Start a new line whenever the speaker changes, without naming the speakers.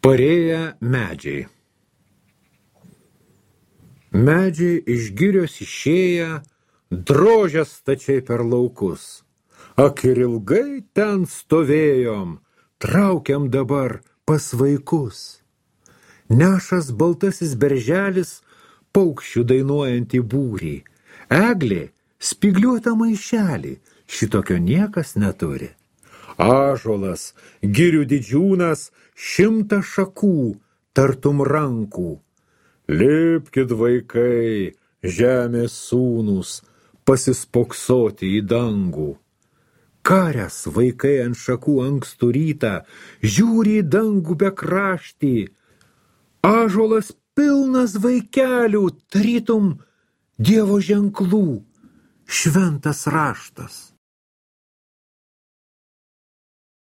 Parėję medžiai. Medžiai iš girios išėję, drožė stačiai per laukus. Ak ir ilgai ten stovėjom, traukiam dabar pas vaikus. Nešas baltasis berželis, paukščių dainuojantį būrį. Eglė spygliuotą maišelį, šitokio niekas neturi. Ąžuolas, girių didžiūnas, 100 šakų, tartum rankų. Lipkit vaikai, žemės sūnūs, pasispoksoti į dangų. Karės vaikai ant šakų ankstų rytą, žiūri į dangų bekraštį. Ąžuolas pilnas vaikelių, tarytum Dievo ženklų, šventas raštas.